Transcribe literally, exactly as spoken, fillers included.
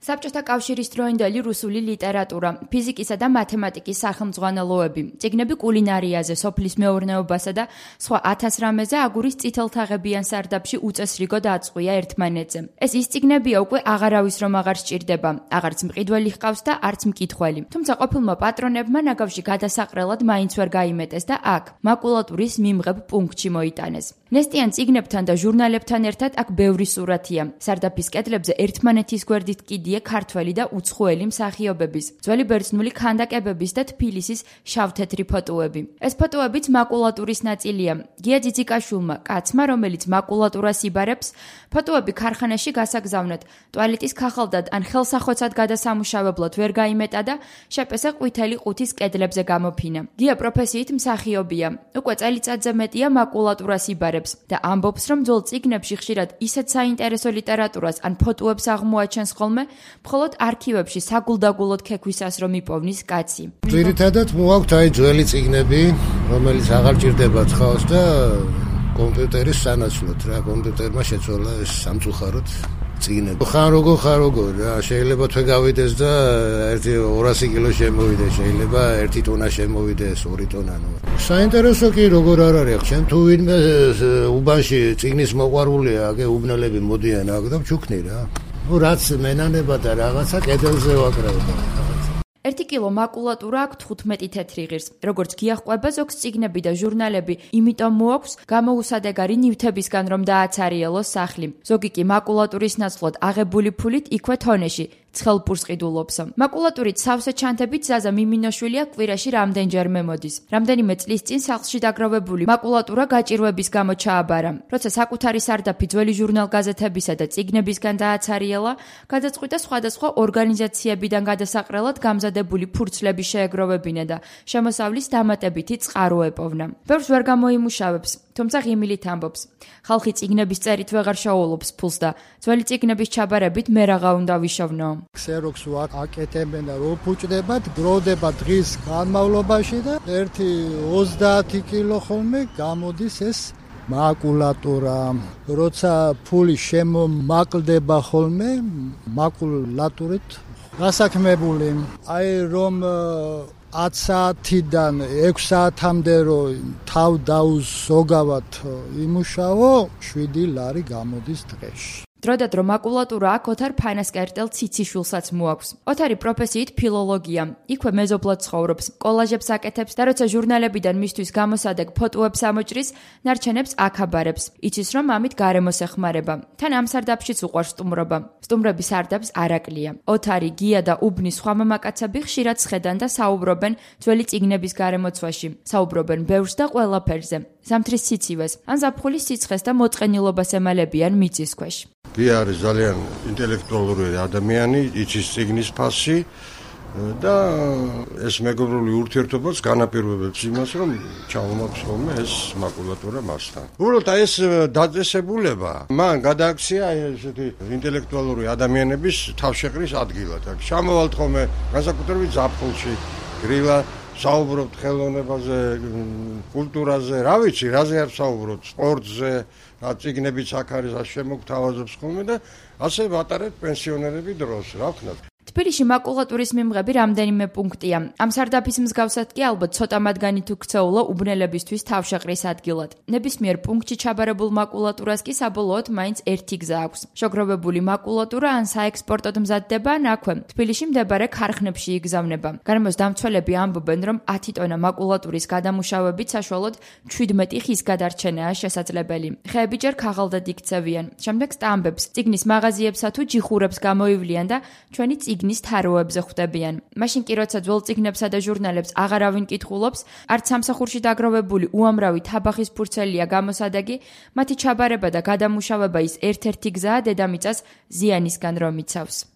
საბჭოთა კავშირის დროინდელი რუსული ლიტერატურა, ფიზიკისა და მათემატიკის სახელმძღვანელოები, წიგნები კულინარიაზე, სოფლის მეურნეობასა და სხვა ათას რამეზე აგურის წითელთაღებიან სარდაფში უწესრიგოდ აწყვია ერთმანეთზე. ეს ის წიგნებია უკვე აღარავის რომ აღარ სჭირდება, აღარც მყიდველი ჰყავს და არც მკითხველი. თუმცა ყოფილმა პატრონებმა ნაგავში გადასაყრელად მაინც ვერ გაიმეტეს და აქ, მაკულატურის მიმღებ პუნქტში მოიტანეს. ნესტიან წიგნებთან და ჟურნალებთან ერთად აქ ბევრი სურათია. სარდაფის კედლებზე ერთმანეთის გვერდით კიდია ქართველი და უცხოელი მსახიობების, ძველი ბერძნული ქანდაკებების და თბილისის შავთეთრი ფოტოები. ეს ფოტოებიც მაკულატურის ნაწილია. გია ძიძიკაშვილმა, კაცმა, რომელიც მაკულატურას იბარებს, ფოტოები ქარხანაში გასაგზავნად, ტუალეტის ქაღალდად ან ხელსახოცად გადასამუშავებლად ვერ გაიმეტა და შეპესა ყვითელი ყუთის კედლებზე გამოფინა. გია პროფესიით მსახიობია. უკვე წელიწადზე მეტია მაკულატურას იბარებს და ამბობს, რომ ძველ წიგნებში ხშირად ისეთ საინტერესო ლიტერატურას ან ფოტოებს აღმოაჩენს ხოლმე, მხოლოდ არქივებში საგულდაგულოდ ქექვისას რომ იპოვნის კაცი. ძირითადად მოაქვთ აი ძველი წიგნები, რომელიც აღარ ჭირდებათ ხალხს და კომპიუტერის სანაცვლოდ რა, კომპიუტერმა შეცვალა ეს სამწუხაროდ წიგნები. ხან როგორ ხან როგორ რა, შეიძლება თვე გავიდეს და ერთი ორასი კილო შემოვიდეს, შეიძლება ერთი ტონა შემოვიდეს, ორი ტონა. საინტერესო კი როგორ არ არის, ჩემ თუ ვინმე უბანში წიგნის მოყვარულია, აგე უბნელები მოდიან აქ და ჩუქნი რა. ნუ რაც მენანება და რაღაცა კედელზე ვაკრავდა. ერთი კილო მაკულატურა აქვს თხუთმეტი თეთრი ღირს. როგორც გიაჰყვება ზოგს წიგნები და ჟურნალები, იმიტომ მოაქვს გამოუსადეგარი ნივთებისგან რომ დააცარიელოს სახლი. ზოგი კი მაკულატურის ნაცვლად აღებული ფულით იქვე თონეში ცხელპურს ყიდულობს. მაკულატურით სავსე ჩანთებით ზაზა მიმინოშვილია კვირაში რამდენჯერმე მოდის. რამდენიმე წლის წინ სახლში დაგროვებული მაკულატურა გაჭირვების გამო ჩააბარა. როცა საკუთარი სარდაფი ძველი ჟურნალ-გაზეთებისა და წიგნებისგან დააცარიელა, გადაწყვიტა სხვადასხვა ორგანიზაციებიდან გადასაყრელად გამზადებული ფურცლები შეეგროვებინა და შემოსავლის დამატებითი წყარო ეპოვნა. ბევრს ვერ გამოიმუშავებს, თუმცა ღიმილით ამბობს. ხალხი წიგნების წერით ვეღარ შეაულობს ფულს და ძველი წიგნების ჩაბარებით მე რაღა უნდა ვიშოვნო. ქსეროქს ვაკეთებენ და რო ფუჭდებათ, გროვდება დღის განმავლობაში და ერთი ოცდაათი კილო ხოლმე გამოდის ეს მაკულატურა. როცა ფული შემომაკლდება ხოლმე მაკულატურით გასაქმებული. აი რომ ათ საათიდან ექვს საათამდე რო თავ დაუზოგავად იმუშავო, შვიდი ლარი გამოდის დღეში. დროდადრო მაკულატურა აქ ოთარ ფანასკერტელ ციციშვილსაც მოაქვს. ოთარი პროფესიით ფილოლოგია. იქვე მეზობლად ცხოვრობს, კოლაჟებს აკეთებს და როცა ჟურნალებიდან მისთვის გამოსადეგ ფოტოებს ამოჭრის, ნარჩენებს აქ აბარებს. იცის რომ ამით გარემოს ეხმარება. თან ამ სარდაფშიც უყვარს სტუმრობა. სტუმრების სარდაფს არ აკლია. ოთარი, გია და უბნის სხვა მამაკაცები ხშირად სხედან და საუბრობენ ძველი წიგნების გარემოცვაში. საუბრობენ ბევრს და ყველაფერზე. ზამთრის სიცივეს, ან ზაფხულის სიცხეს და მოწყენილობას ემალებიან მიწის ქვეშ. გია არის ძალიან ინტელექტუალური ადამიანი, იცის წიგნის ფასი და ეს მეგობრული ურთიერთობაც განაპირობებს იმას, რომ ჩავმოაქვს ხოლმე ეს მაკულატურა მასთან. უბრალოდ ეს დაწესებულება მან გადააქცია ესეთი ინტელექტუალური ადამიანების თავშეყრის ადგილად. ჩამოვალთ ხოლმე განსაკუთრებით ზაფხულში, გრილა საუბრობთ ხელოვნებაზე, კულტურაზე, რა ვიცი, რაზე არ საუბრობთ, სპორტზე, წიგნებიც აქ არის, ასე შემოგთავაზობს ხოლმე და ასე ვატარებთ პენსიონერები დროს, რა ვქნათ. თბილისში მაკულატურის მიმღები რამდენიმე პუნქტია. ამ სარდაფის მსგავსად კი ალბათ ცოტა მათგანი თუ ქცეულა უბნელებისთვის თავშეყრის ადგილად. ნებისმიერ პუნქტში ჩაბარებულ მაკულატურას კი საბოლოოდ მაინც ერთი გზა აქვს. შოგროვებული მაკულატურა ან საექსპორტოდ მზადდება, ან აქვე თბილისში მდებარე ქარხნებში იგზავნება. გარემოს დამცველები ამბობენ, რომ ათი ტონა მაკულატურის გადამუშავებით საშუალოდ ჩვიდმეტი ხის გადარჩენაა შესაძლებელი. ხეები ჯერ ქაღალდად იქცევიან. შემდეგ სტამბებს, წიგნის მაღაზიებსა თუ ჯიხურებს გამოივლიან და ჩვენი წიგნის თაროებზე ხვდებიან. მაშინ კი როცა ძველ წიგნებსა და ჟურნალებს აღარავინ კითხულობს, არც სამსახურში დაგროვებული უამრავი თაბახის ფურცელია გამოსადეგი, მათი ჩაბარება და გადამუშავება ის ერთ-ერთი გზაა დედამიწას ზიანისგან რომ იცავს.